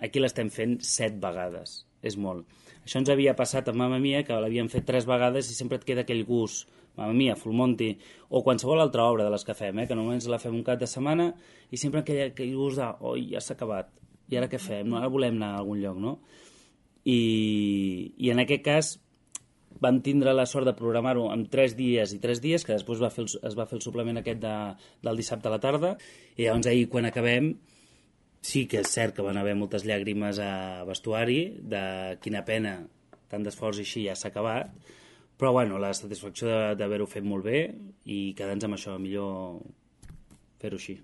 aquí l'estem fent 7 vegades, és molt. Això ens havia passat amb Mamma Mia, que l'havíem fet 3 vegades i sempre et queda aquell gust, Mamma Mia, Full Monty, o qualsevol altra obra de les que fem, que normalment la fem un cap de setmana i sempre aquell gust de, oi, ja s'ha acabat, i ara què fem? Ara volem anar a algun lloc, no? I en aquest cas vam tindre la sort de programar-ho en 3 dies i 3 dies, que després es va fer el suplement aquest del dissabte a la tarda, i llavors ahir quan acabem sí que és cert que van haver moltes llàgrimes a vestuari, de quina pena, tant d'esforç i així ja s'ha acabat, però bueno, la satisfacció d'haver-ho fet molt bé i quedar-nos amb això, millor fer-ho així.